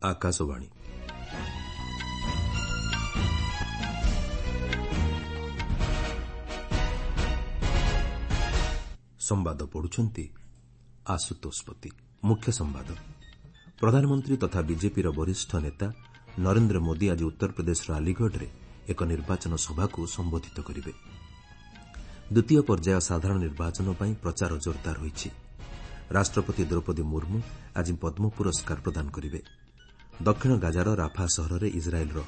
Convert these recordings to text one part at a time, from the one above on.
ଆକାଶବାଣୀ। ସମ୍ବାଦ ପଢୁଛନ୍ତି ଆଶୁତୋଷ ପତି। ମୁଖ୍ୟ ସମ୍ବାଦ। ପ୍ରଧାନମନ୍ତ୍ରୀ ତଥା ବିଜେପିର ବରିଷ୍ଠ ନେତା ନରେନ୍ଦ୍ର ମୋଦି ଆଜି ଉତ୍ତରପ୍ରଦେଶର ଆଲିଗଡ଼ରେ ଏକ ନିର୍ବାଚନ ସଭାକୁ ସମ୍ବୋଧିତ କରିବେ। ଦ୍ୱିତୀୟ ପର୍ଯ୍ୟାୟ ସାଧାରଣ ନିର୍ବାଚନ ପାଇଁ ପ୍ରଚାର ଜୋରଦାର ହୋଇଛି। ରାଷ୍ଟ୍ରପତି ଦ୍ରୌପଦୀ ମୁର୍ମୁ ଆଜି ପଦ୍ମ ପୁରସ୍କାର ପ୍ରଦାନ କରିବେ। ଦକ୍ଷିଣ ଗାଜାର ରାଫା ସହରରେ ଇସ୍ରାଏଲ୍ର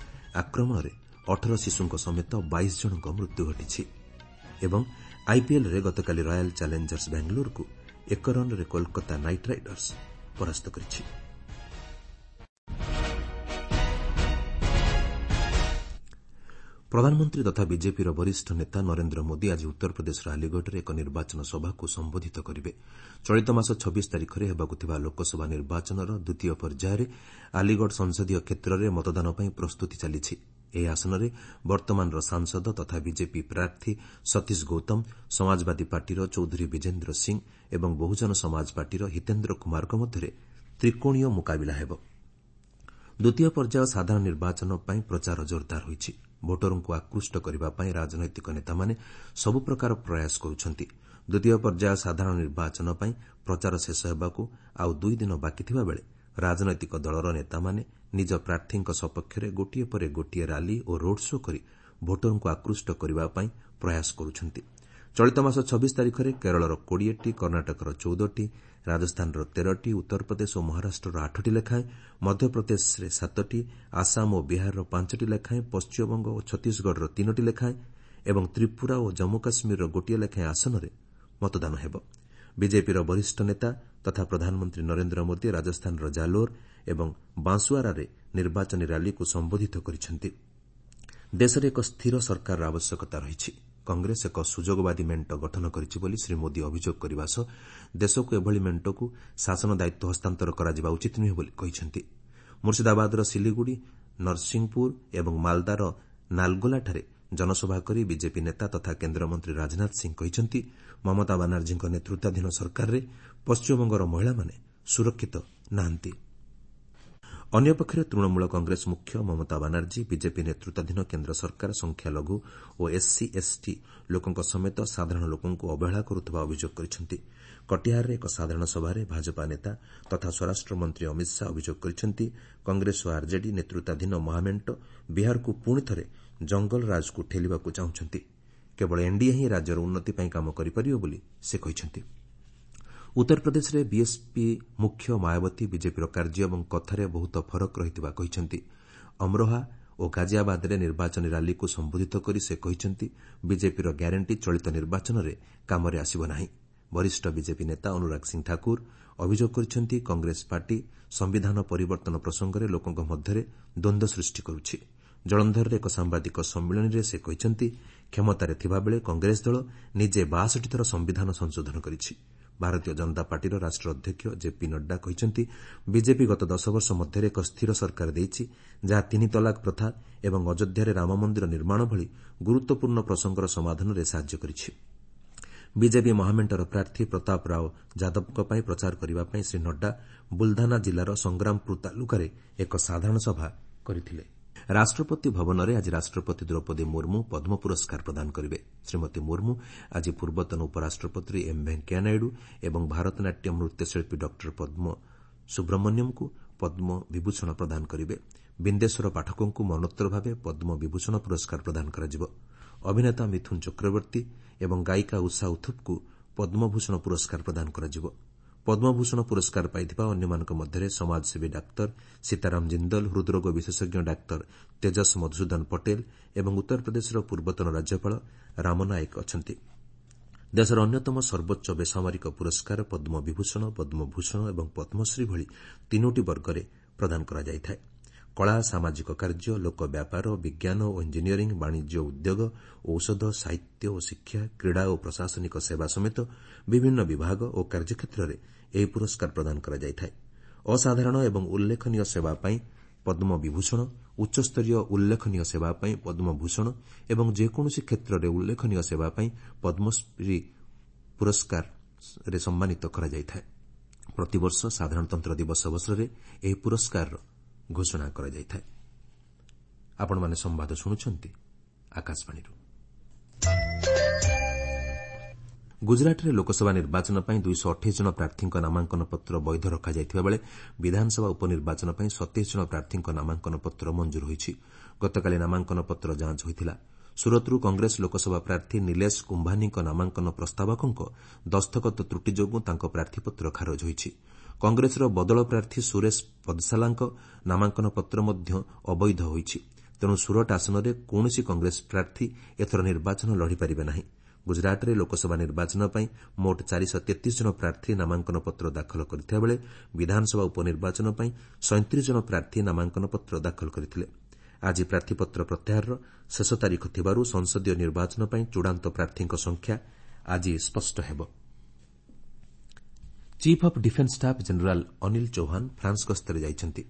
ଆକ୍ରମଣରେ 18 ଶିଶୁଙ୍କ ସମେତ 22 ଜଣଙ୍କ ମୃତ୍ୟୁ ଘଟିଛି ଏବଂ ଆଇପିଏଲ୍ରେ ଗତକାଲି ରୟାଲ୍ ଚ୍ୟାଲେଞ୍ଜର୍ସ ବାଙ୍ଗାଲୋରକୁ 1 ରନ୍ରେ କୋଲକାତା ନାଇଟ୍ ରାଇଡର୍ସ ପରାସ୍ତ କରିଛି। ପ୍ରଧାନମନ୍ତ୍ରୀ ତଥା ବିଜେପିର ବରିଷ୍ଠ ନେତା ନରେନ୍ଦ୍ର ମୋଦି ଆଜି ଉତ୍ତରପ୍ରଦେଶର ଆଲିଗଡ଼ରେ ଏକ ନିର୍ବାଚନ ସଭାକୁ ସମ୍ବୋଧିତ କରିବେ। ଚଳିତ ମାସ 26 ତାରିଖରେ ହେବାକୁ ଥିବା ଲୋକସଭା ନିର୍ବାଚନର ଦ୍ୱିତୀୟ ପର୍ଯ୍ୟାୟରେ ଆଲିଗଡ଼ ସଂସଦୀୟ କ୍ଷେତ୍ରରେ ମତଦାନ ପାଇଁ ପ୍ରସ୍ତୁତି ଚାଲିଛି। ଏହି ଆସନରେ ବର୍ତ୍ତମାନର ସାଂସଦ ତଥା ବିଜେପି ପ୍ରାର୍ଥୀ ସତୀଶ ଗୌତମ, ସମାଜବାଦୀ ପାର୍ଟିର ଚୌଧୁରୀ ବିଜେନ୍ଦ୍ର ସିଂ ଏବଂ ବହୁଜନ ସମାଜ ପାର୍ଟିର ହିତେନ୍ଦ୍ର କୁମାରଙ୍କ ମଧ୍ୟରେ ତ୍ରିକୋଣୀୟ ମୁକାବିଲା ହେବ। ଦ୍ୱିତୀୟ ପର୍ଯ୍ୟାୟ ସାଧାରଣ ନିର୍ବାଚନ ପାଇଁ ପ୍ରଚାର ଜୋରଦାର ହୋଇଛି। ଭୋଟରଙ୍କୁ ଆକୃଷ୍ଟ କରିବା ପାଇଁ ରାଜନୈତିକ ନେତାମାନେ ସବୁ ପ୍ରକାର ପ୍ରୟାସ କରୁଛନ୍ତି। ଦ୍ୱିତୀୟ ପର୍ଯ୍ୟାୟ ସାଧାରଣ ନିର୍ବାଚନ ପାଇଁ ପ୍ରଚାର ଶେଷ ହେବାକୁ ଆଉ ଦୁଇ ଦିନ ବାକି ଥିବାବେଳେ ରାଜନୈତିକ ଦଳର ନେତାମାନେ ନିଜ ପ୍ରାର୍ଥୀଙ୍କ ସପକ୍ଷରେ ଗୋଟିଏ ପରେ ଗୋଟିଏ ରାଲି ଓ ରୋଡ୍ ଶୋ କରି ଭୋଟରଙ୍କୁ ଆକୃଷ୍ଟ କରିବା ପାଇଁ ପ୍ରୟାସ କରୁଛନ୍ତି। ଚଳିତ ମାସ 26 ତାରିଖରେ କେରଳର 20ଟି, କର୍ଣ୍ଣାଟକର 14ଟି, ରାଜସ୍ଥାନର 13ଟି, ଉତ୍ତରପ୍ରଦେଶ ଓ ମହାରାଷ୍ଟ୍ରର 8ଟି ଲେଖାଏଁ, ମଧ୍ୟପ୍ରଦେଶରେ 7ଟି, ଆସାମ ଓ ବିହାରର 5ଟି ଲେଖାଏଁ, ପଶ୍ଚିମବଙ୍ଗ ଓ ଛତିଶଗଡ଼ର 3ଟି ଲେଖାଏଁ ଏବଂ ତ୍ରିପୁରା ଓ ଜମ୍ମୁ କାଶ୍ମୀରର ଗୋଟିଏ ଲେଖାଏଁ ଆସନରେ ମତଦାନ ହେବ। ବିଜେପିର ବରିଷ୍ଠ ନେତା ତଥା ପ୍ରଧାନମନ୍ତ୍ରୀ ନରେନ୍ଦ୍ର ମୋଦି ରାଜସ୍ଥାନର ଜାଲୋର ଏବଂ ବାଂଶୁଆରାରେ ନିର୍ବାଚନୀ ର୍ୟାଲିକୁ ସମ୍ବୋଧିତ କରିଛନ୍ତି। ଦେଶରେ ଏକ ସ୍ଥିର ସରକାରର ଆବଶ୍ୟକତା ରହିଛି। କଂଗ୍ରେସ ଏକ ସୁଯୋଗବାଦୀ ମେଣ୍ଟ ଗଠନ କରିଛି ବୋଲି ଶ୍ରୀ ମୋଦି ଅଭିଯୋଗ କରିବା ସହ ଦେଶକୁ ଏଭଳି ମେଣ୍ଟକୁ ଶାସନ ଦାୟିତ୍ୱ ହସ୍ତାନ୍ତର କରାଯିବା ଉଚିତ ନୁହେଁ ବୋଲି କହିଛନ୍ତି। ମୁର୍ସିଦାବାଦର ସିଲିଗୁଡ଼ି, ନରସିଂହପୁର ଏବଂ ମାଲଦାର ନାଲଗୋଲାଠାରେ ଜନସଭା କରି ବିଜେପି ନେତା ତଥା କେନ୍ଦ୍ରମନ୍ତ୍ରୀ ରାଜନାଥ ସିଂ କହିଛନ୍ତି, ମମତା ବାନାର୍ଜୀଙ୍କ ନେତୃତ୍ୱାଧୀନ ସରକାରରେ ପଶ୍ଚିମବଙ୍ଗର ମହିଳାମାନେ ସୁରକ୍ଷିତ ନାହାନ୍ତି। ଅନ୍ୟପକ୍ଷରେ ତୃଣମୂଳ କଂଗ୍ରେସ ମୁଖ୍ୟ ମମତା ବାନାର୍ଜୀ ବିଜେପି ନେତୃତ୍ୱାଧୀନ କେନ୍ଦ୍ର ସରକାର ସଂଖ୍ୟାଲଘୁ ଓ ଏସ୍ସି, ଏସ୍ଟି ଲୋକଙ୍କ ସମେତ ସାଧାରଣ ଲୋକଙ୍କୁ ଅବହେଳା କରୁଥିବା ଅଭିଯୋଗ କରିଛନ୍ତି। କଟିହାରରେ ଏକ ସାଧାରଣ ସଭାରେ ଭାଜପା ନେତା ତଥା ସ୍ୱରାଷ୍ଟ୍ରମନ୍ତ୍ରୀ ଅମିତ ଶାହା ଅଭିଯୋଗ କରିଛନ୍ତି, କଂଗ୍ରେସ ଓ ଆର୍ଜେଡି ନେତୃତ୍ୱାଧୀନ ମହାମେଣ୍ଟ ବିହାରକୁ ପୁଣିଥରେ ଜଙ୍ଗଲରାଜକୁ ଠେଲିବାକୁ ଚାହୁଁଛନ୍ତି। କେବଳ ଏନ୍ଡିଏ ହିଁ ରାଜ୍ୟର ଉନ୍ନତି ପାଇଁ କାମ କରିପାରିବ ବୋଲି ସେ କହିଛନ୍ତି। ଉତ୍ତରପ୍ରଦେଶରେ ବିଏସ୍ପି ମୁଖ୍ୟ ମାୟାବତୀ ବିଜେପିର କାର୍ଯ୍ୟ ଏବଂ କଥାରେ ବହୁତ ଫରକ ରହିଥିବା କହିଛନ୍ତି। ଅମ୍ରୋହା ଓ ଗାଜିଆବାଦରେ ନିର୍ବାଚନୀ ର୍ୟାଲିକୁ ସମ୍ବୋଧିତ କରି ସେ କହିଛନ୍ତି, ବିଜେପିର ଗ୍ୟାରେଣ୍ଟି ଚଳିତ ନିର୍ବାଚନରେ କାମରେ ଆସିବ ନାହିଁ। ବରିଷ୍ଠ ବିଜେପି ନେତା ଅନୁରାଗ ସିଂ ଠାକୁର ଅଭିଯୋଗ କରିଛନ୍ତି, କଂଗ୍ରେସ ପାର୍ଟି ସମ୍ବିଧାନ ପରିବର୍ତ୍ତନ ପ୍ରସଙ୍ଗରେ ଲୋକଙ୍କ ମଧ୍ୟରେ ଦ୍ୱନ୍ଦ୍ୱ ସୃଷ୍ଟି କରୁଛି। ଜଳନ୍ଧରରେ ଏକ ସାମ୍ବାଦିକ ସମ୍ମିଳନୀରେ ସେ କହିଛନ୍ତି, କ୍ଷମତାରେ ଥିବାବେଳେ କଂଗ୍ରେସ ଦଳ ନିଜେ 62 ଥର ସମ୍ବିଧାନ ସଂଶୋଧନ କରିଛି। ଭାରତୀୟ ଜନତା ପାର୍ଟିର ରାଷ୍ଟ୍ରୀୟ ଅଧ୍ୟକ୍ଷ ଜେପି ନଡ୍ଡା କହିଛନ୍ତି, ବିଜେପି ଗତ 10 ବର୍ଷ ମଧ୍ୟରେ ଏକ ସ୍ଥିର ସରକାର ଦେଇଛି, ଯାହା ତିନି ତଲାକ ପ୍ରଥା ଏବଂ ଅଯୋଧ୍ୟାରେ ରାମମନ୍ଦିର ନିର୍ମାଣ ଭଳି ଗୁରୁତ୍ୱପୂର୍ଣ୍ଣ ପ୍ରସଙ୍ଗର ସମାଧାନରେ ସାହାଯ୍ୟ କରିଛି। ବିଜେପି ମହାମେଣ୍ଟର ପ୍ରାର୍ଥୀ ପ୍ରତାପ ରାଓ ଯାଦବଙ୍କ ପାଇଁ ପ୍ରଚାର କରିବା ପାଇଁ ଶ୍ରୀ ନଡ୍ଡା ବୁଲଧାନା ଜିଲ୍ଲାର ସଂଗ୍ରାମପୁର ତାଲୁକାରେ ଏକ ସାଧାରଣ ସଭା କରିଥିଲେ। ରାଷ୍ଟ୍ରପତି ଭବନରେ ଆଜି ରାଷ୍ଟ୍ରପତି ଦ୍ରୌପଦୀ ମୁର୍ମୁ ପଦ୍ମ ପୁରସ୍କାର ପ୍ରଦାନ କରିବେ। ଶ୍ରୀମତୀ ମୁର୍ମୁ ଆଜି ପୂର୍ବତନ ଉପରାଷ୍ଟ୍ରପତି ଏମ୍ ଭେଙ୍କୟା ନାଇଡୁ ଏବଂ ଭାରତନାଟ୍ୟମ୍ ନୃତ୍ୟଶିଳ୍ପୀ ଡକ୍ଟର ପଦ୍ମ ସୁବ୍ରମଣ୍ୟମଙ୍କୁ ପଦ୍ମ ବିଭୂଷଣ ପ୍ରଦାନ କରିବେ। ବିନ୍ଦେଶ୍ୱର ପାଠକଙ୍କୁ ମରଣୋତ୍ତର ଭାବେ ପଦ୍ମ ବିଭୂଷଣ ପୁରସ୍କାର ପ୍ରଦାନ କରାଯିବ। ଅଭିନେତା ମିଥୁନ ଚକ୍ରବର୍ତ୍ତୀ ଏବଂ ଗାୟିକା ଉଷା ଉଥୁପଙ୍କୁ ପଦ୍ମଭୂଷଣ ପୁରସ୍କାର ପ୍ରଦାନ କରାଯିବ। ପଦ୍ମଭୂଷଣ ପୁରସ୍କାର ପାଇଥିବା ଅନ୍ୟମାନଙ୍କ ମଧ୍ୟରେ ସମାଜସେବୀ ଡାକ୍ତର ସୀତାରାମ ଜିନ୍ଦଲ, ହୃଦ୍ରୋଗ ବିଶେଷଜ୍ଞ ଡାକ୍ତର ତେଜସ୍ ମଧୁସୂଦନ ପଟେଲ ଏବଂ ଉତ୍ତରପ୍ରଦେଶର ପୂର୍ବତନ ରାଜ୍ୟପାଳ ରାମ ନାଏକ ଅଛନ୍ତି। ଦେଶର ଅନ୍ୟତମ ସର୍ବୋଚ୍ଚ ବେସାମରିକ ପୁରସ୍କାର ପଦ୍ମବିଭୂଷଣ, ପଦ୍ମଭୂଷଣ ଏବଂ ପଦ୍ମଶ୍ରୀ ଭଳି ତିନୋଟି ବର୍ଗରେ ପ୍ରଦାନ କରାଯାଇଥାଏ। କଳା, ସାମାଜିକ କାର୍ଯ୍ୟ, ଲୋକ ବ୍ୟାପାର, ବିଜ୍ଞାନ ଓ ଇଞ୍ଜିନିୟରିଂ, ବାଣିଜ୍ୟ, ଉଦ୍ୟୋଗ, ଔଷଧ, ସାହିତ୍ୟ ଓ ଶିକ୍ଷା, କ୍ରୀଡ଼ା ଓ ପ୍ରଶାସନିକ ସେବା ସମେତ ବିଭିନ୍ନ ବିଭାଗ ଓ କାର୍ଯ୍ୟକ୍ଷେତ୍ରରେ ଏହି ପୁରସ୍କାର ପ୍ରଦାନ କରାଯାଇଥାଏ। ଅସାଧାରଣ ଏବଂ ଉଲ୍ଲେଖନୀୟ ସେବା ପାଇଁ ପଦ୍ମବିଭୂଷଣ, ଉଚ୍ଚସ୍ତରୀୟ ଉଲ୍ଲେଖନୀୟ ସେବା ପାଇଁ ପଦ୍ମଭୂଷଣ ଏବଂ ଯେକୌଣସି କ୍ଷେତ୍ରରେ ଉଲ୍ଲେଖନୀୟ ସେବା ପାଇଁ ପଦ୍ମଶ୍ରୀ ପୁରସ୍କାରରେ ସମ୍ମାନିତ କରାଯାଇଥାଏ। ପ୍ରତିବର୍ଷ ସାଧାରଣତନ୍ତ୍ର ଦିବସ ଅବସରରେ ଏହି ପୁରସ୍କାର ଘୋଷଣା କରାଯାଇଥାଏ। ଆପଣମାନେ ସମ୍ବାଦ ଶୁଣୁଛନ୍ତି ଆକାଶବାଣୀରୁ। ଗୁଜରାଟରେ ଲୋକସଭା ନିର୍ବାଚନ ପାଇଁ 228 ଜଣ ପ୍ରାର୍ଥୀଙ୍କ ନାମାଙ୍କନ ପତ୍ର ବୈଧ ରଖାଯାଇଥିବା ବେଳେ ବିଧାନସଭା ଉପନିର୍ବାଚନ ପାଇଁ 27 ଜଣ ପ୍ରାର୍ଥୀଙ୍କ ନାମାଙ୍କନ ପତ୍ର ମଞ୍ଜୁର ହୋଇଛି। ଗତକାଲି ନାମାଙ୍କନ ପତ୍ର ଯାଞ୍ଚ ହୋଇଥିଲା। ସୁରତରୁ କଂଗ୍ରେସ ଲୋକସଭା ପ୍ରାର୍ଥୀ ନିଲେଶ କୁମ୍ଭାନୀଙ୍କ ନାମାଙ୍କନ ପ୍ରସ୍ତାବକଙ୍କ ଦସ୍ତଖତ ତ୍ରୁଟି ଯୋଗୁଁ ତାଙ୍କ ପ୍ରାର୍ଥୀପତ୍ର ଖାରଜ ହୋଇଛି। କଂଗ୍ରେସର ବଦଳ ପ୍ରାର୍ଥୀ ସୁରେଶ ପଦସାଲାଙ୍କ ନାମାଙ୍କନ ପତ୍ର ମଧ୍ୟ ଅବୈଧ ହୋଇଛି। ତେଣୁ ସୁରଟ ଆସନରେ କୌଣସି କଂଗ୍ରେସ ପ୍ରାର୍ଥୀ ଏଥର ନିର୍ବାଚନ ଲଢ଼ିପାରିବେ ନାହିଁ। ଗୁଜରାଟରେ ଲୋକସଭା ନିର୍ବାଚନ ପାଇଁ ମୋଟ 433 ଜଣ ପ୍ରାର୍ଥୀ ନାମାଙ୍କନ ପତ୍ର ଦାଖଲ କରିଥିବା ବେଳେ ବିଧାନସଭା ଉପନିର୍ବାଚନ ପାଇଁ 37 ଜଣ ପ୍ରାର୍ଥୀ ନାମାଙ୍କନ ପତ୍ର ଦାଖଲ କରିଥିଲେ। ଆଜି ପ୍ରାର୍ଥୀପତ୍ର ପ୍ରତ୍ୟାହାରର ଶେଷ ତାରିଖ ଥିବାରୁ ସଂସଦୀୟ ନିର୍ବାଚନ ପାଇଁ ଚୂଡ଼ାନ୍ତ ପ୍ରାର୍ଥୀଙ୍କ ସଂଖ୍ୟା ଆଜି ସ୍ପଷ୍ଟ ହେବ। Chief of defence staff general Anil Chauhan France ଗସ୍ତରେ ଯାଇଛନ୍ତି।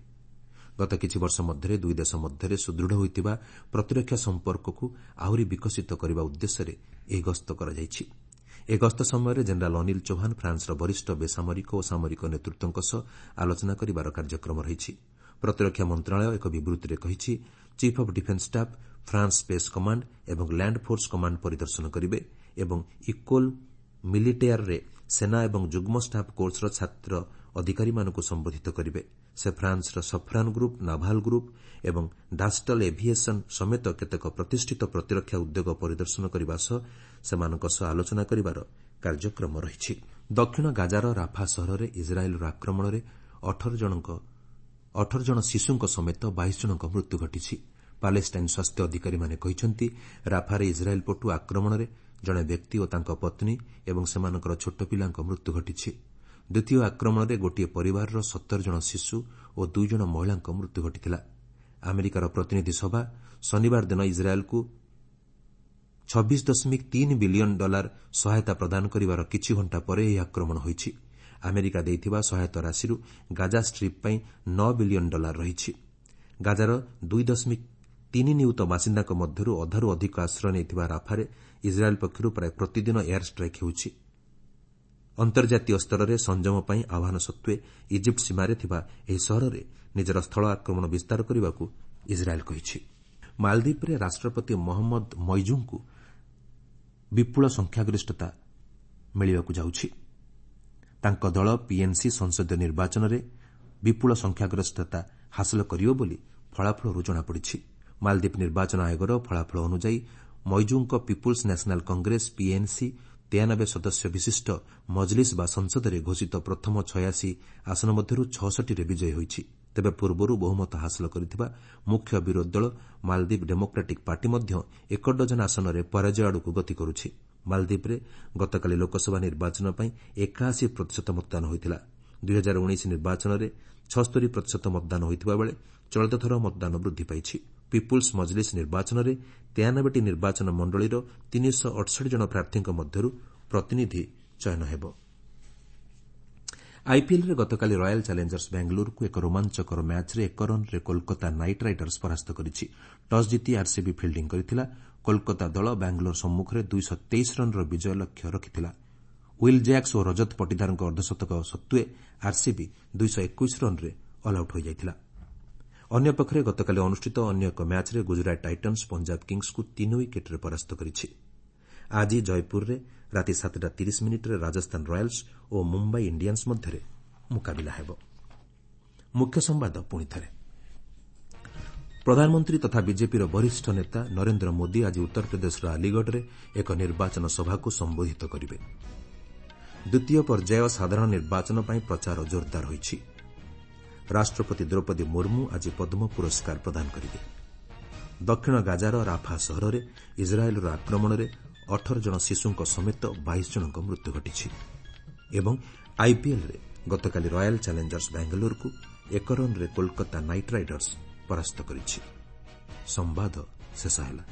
ଗତ କିଛି ବର୍ଷ ମଧ୍ୟରେ ଦୁଇ ଦେଶ ମଧ୍ୟରେ ସୁଦୃଢ଼ ହୋଇଥିବା ପ୍ରତିରକ୍ଷା ସମ୍ପର୍କକୁ ଆହୁରି ବିକଶିତ କରିବା ଉଦ୍ଦେଶ୍ୟରେ ଏହି ଗସ୍ତ କରାଯାଇଛି। ଏହି ଗସ୍ତ ସମୟରେ ଜେନେରାଲ୍ ଅନିଲ ଚୌହାନ ଫ୍ରାନ୍ସର ବରିଷ୍ଠ ବେସାମରିକ ଓ ସାମରିକ ନେତୃତ୍ୱଙ୍କ ସହ ଆଲୋଚନା କରିବାର କାର୍ଯ୍ୟକ୍ରମ ରହିଛି। ପ୍ରତିରକ୍ଷା ମନ୍ତ୍ରଣାଳୟ ଏକ ବିବୃତ୍ତିରେ କହିଛି, chief of defence staff France space command ଏବଂ ଲ୍ୟାଣ୍ଡ ଫୋର୍ସ କମାଣ୍ଡ ପରିଦର୍ଶନ କରିବେ ଏବଂ ଇକୋଲ୍ ମିଲିଟେୟାରରେ ସେନା ଏବଂ ଯୁଗ୍ମ ଷ୍ଟାଫ୍ କୋର୍ସର ଛାତ୍ର ଅଧିକାରୀମାନଙ୍କୁ ସମ୍ବୋଧିତ କରିବେ। ସେ ଫ୍ରାନ୍ସର ସଫ୍ରାନ୍ ଗ୍ରୁପ୍, ନାଭାଲ୍ ଗ୍ରୁପ୍ ଏବଂ ଡାଷ୍ଟଲ୍ ଏଭିଏସନ୍ ସମେତ କେତେକ ପ୍ରତିଷ୍ଠିତ ପ୍ରତିରକ୍ଷା ଉଦ୍ୟୋଗ ପରିଦର୍ଶନ କରିବା ସହ ସେମାନଙ୍କ ସହ ଆଲୋଚନା କରିବାର କାର୍ଯ୍ୟକ୍ରମ ରହିଛି। ଦକ୍ଷିଣ ଗାଜାର ରାଫା ସହରରେ ଇସ୍ରାଏଲ୍ର ଆକ୍ରମଣରେ 18 ଜଣ ଶିଶୁଙ୍କ ସମେତ 22 ଜଣଙ୍କ ମୃତ୍ୟୁ ଘଟିଛି। ପାଲେଷ୍ଟାଇନ୍ ସ୍ୱାସ୍ଥ୍ୟ ଅଧିକାରୀମାନେ କହିଛନ୍ତି, ରାଫାରେ ଇସ୍ରାଏଲ୍ ପଟୁ ଆକ୍ରମଣରେ ଜଣେ ବ୍ୟକ୍ତି ଓ ତାଙ୍କ ପତ୍ନୀ ଏବଂ ସେମାନଙ୍କର ଛୋଟ ପିଲାଙ୍କ ମୃତ୍ୟୁ ଘଟିଛି। ଦ୍ୱିତୀୟ ଆକ୍ରମଣରେ ଗୋଟିଏ ପରିବାରର 17 ଜଣ ଶିଶୁ ଓ 2 ଜଣ ମହିଳାଙ୍କ ମୃତ୍ୟୁ ଘଟିଥିଲା। ଆମେରିକାର ପ୍ରତିନିଧି ସଭା ଶନିବାର ଦିନ ଇସ୍ରାଏଲ୍କୁ 26.3 ବିଲିୟନ୍ ଡଲାର ସହାୟତା ପ୍ରଦାନ କରିବାର କିଛି ଘଣ୍ଟା ପରେ ଏହି ଆକ୍ରମଣ ହୋଇଛି। ଆମେରିକା ଦେଇଥିବା ସହାୟତା ରାଶିରୁ ଗାଜା ଷ୍ଟ୍ରିପ୍ ପାଇଁ 9 ବିଲିୟନ୍ ଡଲାର ରହିଛି। ଗାଜାର 2.3 ନିୟୁତ ବାସିନ୍ଦାଙ୍କ ମଧ୍ୟରୁ ଅଧାରୁ ଅଧିକ ଆଶ୍ରୟ ନେଇଥିବା ରାଫାରେ ଇସ୍ରାଏଲ୍ ପକ୍ଷରୁ ପ୍ରାୟ ପ୍ରତିଦିନ ଏୟାର ଷ୍ଟ୍ରାଇକ୍ ହେଉଛି। ଅନ୍ତର୍ଜାତୀୟ ସ୍ତରରେ ସଂଯମ ପାଇଁ ଆହ୍ୱାନ ସତ୍ତ୍ୱେ ଇଜିପ୍ଟ ସୀମାରେ ଥିବା ଏହି ସହରରେ ନିଜର ସ୍ଥଳ ଆକ୍ରମଣ ବିସ୍ତାର କରିବାକୁ ଇସ୍ରାଏଲ୍ କହିଛି। ମାଳଦ୍ୱୀପରେ ରାଷ୍ଟ୍ରପତି ମହମ୍ମଦ ମଇଜୁଙ୍କୁ ବିପୁଳ ସଂଖ୍ୟାଗରିଷ୍ଠତା ମିଳିବାକୁ ଯାଉଛି। ତାଙ୍କ ଦଳ ପିଏନ୍ସି ସଂସଦୀୟ ନିର୍ବାଚନରେ ବିପୁଳ ସଂଖ୍ୟାଗରିଷ୍ଠତା ହାସଲ କରିବ ବୋଲି ଫଳାଫଳରୁ ଜଣାପଡ଼ିଛି। ମାଳଦ୍ୱୀପ ନିର୍ବାଚନ ଆୟୋଗର ଫଳାଫଳ ଅନୁଯାୟୀ ମଇଜୁଙ୍କ ପିପୁଲ୍ସ ନ୍ୟାସନାଲ୍ କଂଗ୍ରେସ ପିଏନ୍ସି 93 ସଦସ୍ୟ ବିଶିଷ୍ଟ ମଜଲିସ୍ ବା ସଂସଦରେ ଘୋଷିତ ପ୍ରଥମ 86 ଆସନ ମଧ୍ୟରୁ 66ରେ ବିଜୟୀ ହୋଇଛି। ତେବେ ପୂର୍ବରୁ ବହୁମତ ହାସଲ କରିଥିବା ମୁଖ୍ୟ ବିରୋଧୀ ଦଳ ମାଳଦ୍ୱୀପ ଡେମୋକ୍ରାଟିକ୍ ପାର୍ଟି ମଧ୍ୟ ଏକ ଡଜନ ଆସନରେ ପରାଜୟ ଆଡ଼କୁ ଗତି କରୁଛି। ମାଳଦ୍ୱୀପରେ ଗତକାଲି ଲୋକସଭା ନିର୍ବାଚନ ପାଇଁ 81% ମତଦାନ ହୋଇଥିଲା। 2019 ନିର୍ବାଚନରେ 76% ମତଦାନ ହୋଇଥିବା ବେଳେ ଚଳିତ ଥର ମତଦାନ ବୃଦ୍ଧି ପାଇଛି। ପିପୁଲ୍ସ ମଜଲିସ୍ ନିର୍ବାଚନରେ 93ଟି ନିର୍ବାଚନ ମଣ୍ଡଳୀର 368 ଜଣ ପ୍ରାର୍ଥୀଙ୍କ ମଧ୍ୟରୁ ପ୍ରତିନିଧି ଚୟନ ହେବ। ଆଇପିଏଲ୍ରେ ଗତକାଲି ରୟାଲ୍ ଚ୍ୟାଲେଞ୍ଜର୍ସ ବାଙ୍ଗାଲୋରକୁ ଏକ ରୋମାଞ୍ଚକର ମ୍ୟାଚ୍ରେ 1 ରନ୍ରେ କୋଲକାତା ନାଇଟ୍ ରାଇଡର୍ସ ପରାସ୍ତ କରିଛି। ଟସ୍ ଜିତି ଆର୍ସିବି ଫିଲ୍ଡିଂ କରିଥିଲା। କୋଲକାତା ଦଳ ବାଙ୍ଗାଲୋର ସମ୍ମୁଖରେ 223 ରନ୍ର ବିଜୟ ଲକ୍ଷ୍ୟ ରଖିଥିଲା। Will Jacks ଓ ରଜତ ପଟିଦାରଙ୍କ ଅର୍ଦ୍ଧଶତକ ସତ୍ତ୍ୱେ ଆର୍ସିବି 221 ରନ୍ରେ ଅଲ୍ଆଉଟ୍ ହୋଇଯାଇଥିଲା। ଅନ୍ୟପକ୍ଷରେ ଗତକାଲି ଅନୁଷ୍ଠିତ ଅନ୍ୟ ଏକ ମ୍ୟାଚ୍ରେ ଗୁଜରାଟ ଟାଇଟନ୍ସ ପଞ୍ଜାବ କିଙ୍ଗ୍ସକୁ 3 ୱିକେଟ୍ରେ ପରାସ୍ତ କରିଛି। ଆଜି ଜୟପୁରରେ ରାତି 7ଟା 30 ମିନିଟ୍ରେ ରାଜସ୍ଥାନ ରୟାଲ୍ସ ଓ ମୁମ୍ବାଇ ଇଣ୍ଡିଆନ୍ସ ମଧ୍ୟରେ ମୁକାବିଲା ହେବ। ମୁଖ୍ୟ ସମ୍ବାଦ ପୁଣିଥରେ। ପ୍ରଧାନମନ୍ତ୍ରୀ ତଥା ବିଜେପିର ବରିଷ୍ଠ ନେତା ନରେନ୍ଦ୍ର ମୋଦି ଆଜି ଉତ୍ତରପ୍ରଦେଶର ଆଲିଗଡ଼ରେ ଏକ ନିର୍ବାଚନ ସଭାକୁ ସମ୍ବୋଧିତ କରିବେ। ଦ୍ୱିତୀୟ ପର୍ଯ୍ୟାୟ ସାଧାରଣ ନିର୍ବାଚନ ପାଇଁ ପ୍ରଚାର ଜୋରଦାର ହୋଇଛି। ରାଷ୍ଟ୍ରପତି ଦ୍ରୌପଦୀ ମୁର୍ମୁ ଆଜି ପଦ୍ମ ପୁରସ୍କାର ପ୍ରଦାନ କରିବେ। ଦକ୍ଷିଣ ଗାଜାର ରାଫା ସହରରେ ଇସ୍ରାଏଲ୍ର ଆକ୍ରମଣରେ 18 ଜଣ ଶିଶୁଙ୍କ ସମେତ 22 ଜଣଙ୍କ ମୃତ୍ୟୁ ଘଟିଛି ଏବଂ ଆଇପିଏଲ୍ରେ ଗତକାଲି ରୟାଲ୍ ଚ୍ୟାଲେଞ୍ଜର୍ସ ବାଙ୍ଗାଲୋରକୁ 1 ରନ୍ରେ କୋଲକାତା ନାଇଟ୍ ରାଇଡର୍ସ ପରାସ୍ତ କରିଛି। ସମ୍ବାଦ ଶେଷ ହେଲା।